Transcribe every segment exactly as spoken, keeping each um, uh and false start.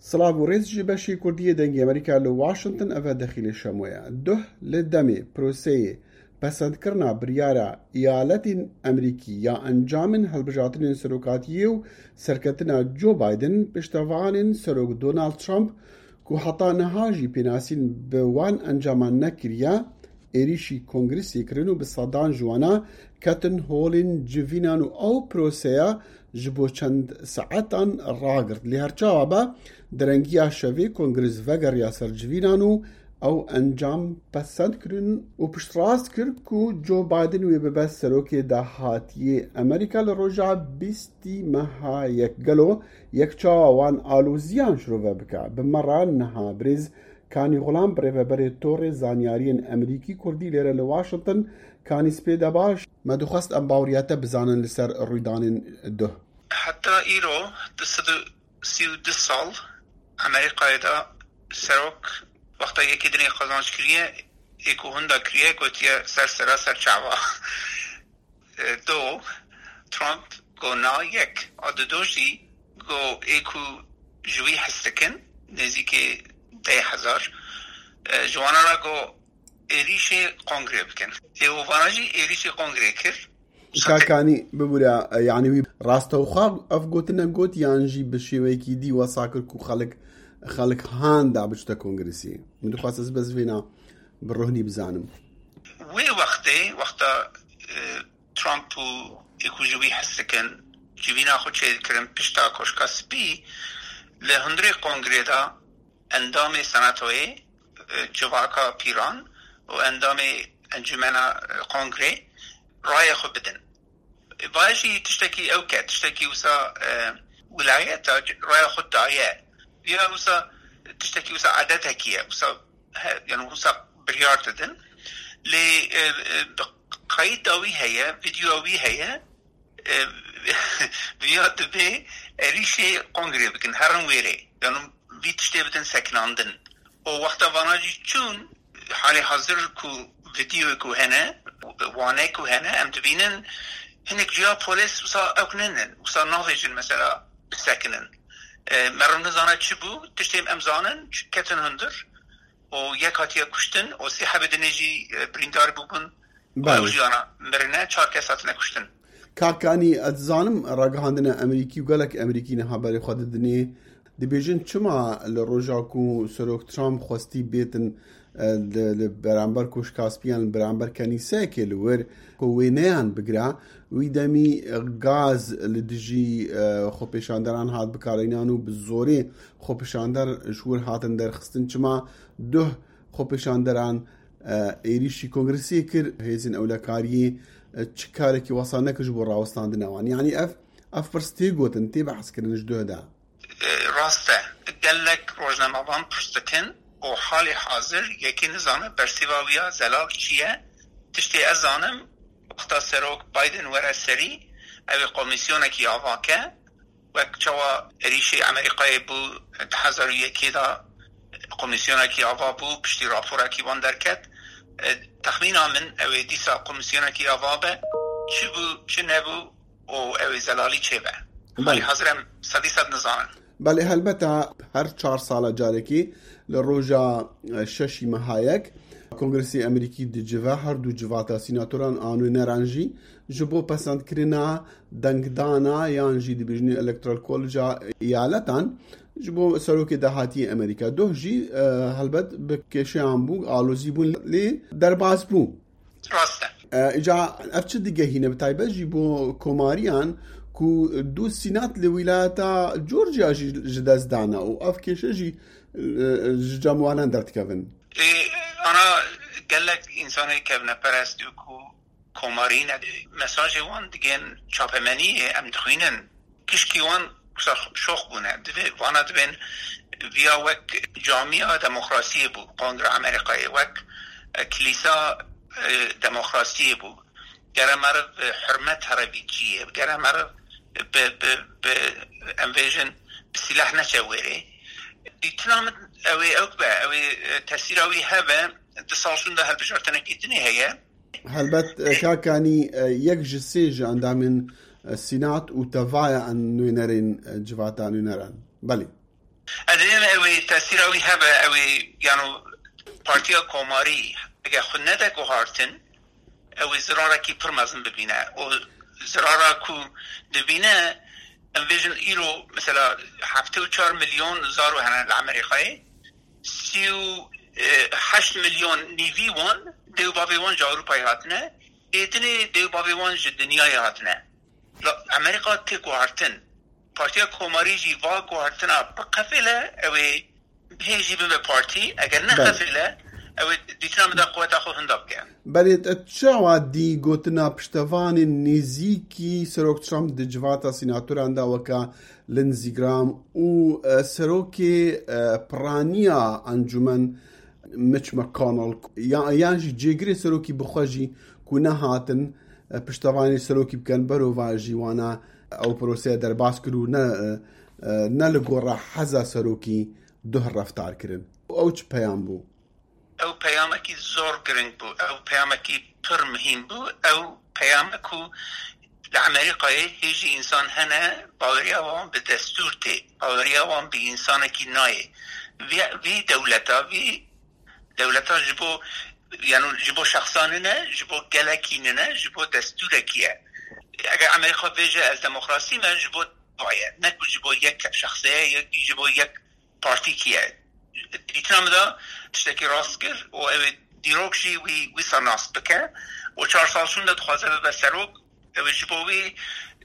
Silav û rêz ji beşê Kurdî yê Dengê Amerîka li Washington, ev e Dexîlê Şemo ye. Duh li demê proseyê pesendkirina biryara eyaletên Amerîkî ya encamên hilbijartinên serokatiyê û serketina Joe Biden, piştevanên Serok Donald Trump ku heta niha jî pênasîn bi wan encaman nekiriye, êrîşî kongresê kirin û bi sedan ji wana ketin holên civînan û ew proseya ji bo çend saetan ragirt. Lê her çawa be, direngiya şevê kongres vegeriya ser civînan û ew encam pesend kirin û piştrast kir ku Joe Biden wê bibe serokê dahatiyê Amerîka li roja bîstî meha yek. Gelo yek çawa wan aloziyan şirove bike? Bi me re niha birêz Kanî Xulam, birêveberê Torê Zanyariyên Amerîkî Kurdî lêre li Washington. Kanî spê de baş. Me dixwest em baweriya te bizanin li ser rûydanên duh. Heta îro, du sed û sî û du sal Amerîkayê de serok wexta yekê dinê qazanç kiriye, ê ku hunda kiriye, gotiye ser sera ser çava. E, do, Trump go na yek. A dido jî go ê ku ji wî hez dikin, nêzîkî deh hezar, e, ji wana re go êrîşê kongrê bikin. Ê û vana jî êrîşê kongrê kir. Kakanî bibûre, e, yanî wî rastewxwe ev gotin got yan jî bi şêweyekî dî wesa kir ku xelk, xelk han da biçte kongresî. Min dixwest ez bes vêna bi rohnî bizanim. Wê wextê, wexta, e, Trump û ê ku ji wî hez dikin, civîna xwe çêdikirin pişta Koşka Spî, li hundirê kongrê de endamê senatoyê, e, civaka pîran û endamê encûmena, e, kongrê rayê xwe bidin. Vaya jî tiştekî ew ke, tiştekî wisa, e, wilayeta raya xwe daye. Ya wisa tiştekî wisa adetekî ye. Wisa he, yani wisa biryar didin. Lê, e, e, bi qeyda wî heye, videoya wî heye. E, viya dibê êrîşê kongrê bikin, herin wêrê. Yani vî tiştê bidin sekinandin. Û wexta vana jî çûn, halê hazir ku videoyê ku hene, wane ku hene, em dibînin hinek cuya polis wisa ew ninin, wisa navêjin mesela bisekinin. E, meriv nizane çi bû, tiştê em zanin, ketin hundir û yek hatiye kuştin û sê hebê dinê jî, e, birîndar bûbûn. Belê. Ew jiyana mirine, çar kes hatine kuştin. Kakanî, ez dizanim ragihandina Amerîkî û gelek Amerîkî niha berê xwe didinê. Dibêjin çima li roja ku Serok Trump xwestî bêtin, e, li, li beramber Koşka Spî yan li beramber kenîseyekê li wir ku wêneyan bigire, wî demî gaz li dijî, e, xwepêşanderan hat bikarînan û bi zorê xwepêşander ji wir hatin derxistin. Çima duh xwepêşanderan, e, êrîşî kongresiyê kir, hêzên ewlekariyê, e, çi karekî wesa nekir ji bo rawestandina wan? Yanî ev, ev pirs tê gotin, tê behs kirin ji duh de. E, rast e. Gelek rojnamevan pirs dikin û halê hazir yekî nizane bersiva wî ya zelal çi ye. Tiştê ez zanim, wexta Serok Biden were serî, ew ê komîsyonekî ava ke, wek çawa êrîşê Amerîkayê bû di hezar û yekê de, komîsyonekî ava bû, piştî raporekî wan derket. E, texmîna min ew ê dîsa komîsyonekî ava be, çi bû, çi nebû û ew ê zelalî çêbe. Belê. Halî hazir em sedî sed nizanin. Belê, helbet e, her çar sala carekê li roja, e, şeşî meha yek, Kongresê Amerîkî dicive her du civata sînatoran a nûneran jî ji bo pesendkirina dengdana yan jî dibêjin Electoral College-a eyaletan ji bo serokê dahatiyê Amerîka. Doh jî, e, helbet bi kêşeyan bû, alozî bûn, lê derbas bû. Rast e. E, îca ev çi digehîne, bi taybet jî bo komariyan ku du sînat li wîlayeta Georgia jî ji dest dana û ev kêşe jî, e, ji cem wanan derdikevin? E, ana gelek însanê kevneperest û ku komarî ne, mesajê wan digên çapemeniyê em dixwînin. Pişkî wan wisa şox bûne. Divê, vana dibên viya wek camiya demokrasiyê bû, Kongre Amerîkayê, wek, e, kilîsa, e, demokrasiyê bû. Gere meriv, e, hurmet here vî ciyê. Gere meriv bi, bi, bi, em bêjin, bi sîleh neçe wêrê. Dîtina min ew ê ew be, ew ê, e, tesîra wî hebe, di sal şûnde hilbijartinekî dinê heye. Helbet, e, Kakanî, e, yek ji sê ji endamên, e, Sînat û tevaya en nûnerên, e, civata nûneran. Belê. Ez ê ew ê tesîra wî hebe, ew ê, yano, Partiya Komarî, ege xwe nede guhartin, ew ê zirarekî pir mezin bibîne. O zirara ku dibîne, em bêjin îro, mesela, heftê û çar milyon zaro hene li Amerîkayê, sî û heşt milyon nîvî wan, dê û bavê wan ji Ewropayê hatine, êdinê dê û bavê wan ji dinyayê hatine. La Amerîka tê guhartin. Partiya Komarî jî va guhartina biqefêle, ew ê hê jî bibe partî, eger Belê. nexefêle, ew ê dîtina min de quweta xwe hinda bike. Belê, te çawa dî gotina piştevanên nêzîkî Serok Trump di civata sînatoran de weke Lindsey Graham û, e, serokê, e, piraniya encûmen Mitch McConnell, ya, yan jî cêgirê serokî bi xwe jî ku nehatin, e, piştevanî serokî bikin, berovajî wana ew proseya derbas kir û ne, e, e, ne li gora heza serokî duh reftar kirin. Ew çi peyam bû? Ew peyamekî zor giring bû, ew peyamekî pir muhîm bû, ew peyame ku li Amerîkayê hê jî însan hene, baweriya wan bi destûr tê, baweriya wan bi însanekî nayê. Vî, vî dewleta, vî dewleta ji bo, yano, ji bo şexsa nine, ji bo gelekî nine, ji bo destûrekî ye. Eger Amerîka bêje, "Ez demokrasî me", ji bo wa ye, ne ku ji bo yek şexsê ye, yek ji bo yek partîkî ye. Dîtina min de tiştekî rast kir û ew ê dîrok jî wî wisa nas bike û çar sal şûnde dixwaze bibe serok, ew ê ji bo wî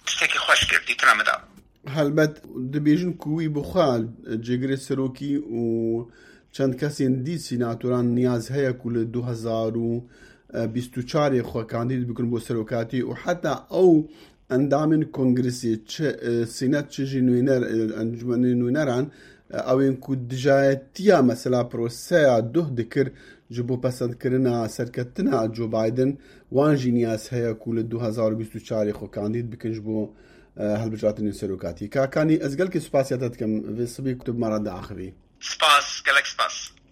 tiştekî xweş kir, dîtina min de. Helbet dibêjin ku wî bi xwe cêgirê serokî û çend kesên dî sînatoran niyaz heye ku li du hezar û bîst û çarê xwe kandîd bikin bo serokatî û heta ew endamên kongresê, çi, e, sînet, çi jî nûner, e, encûmenê nûneran, e, ew ên ku dijayetiya mesela proseya duh dikir ji bo pesendkirina serketina Joe Biden, wan jî niyaz heye ku li du hezar û bîst û çarê xwe kandîd bikin ji bo, e, hilbijartinên serokatî. Kakanî, ez gelkî spasiya te dikim vê sibê ku tu bi me re diaxivî. Spas, gelek spas.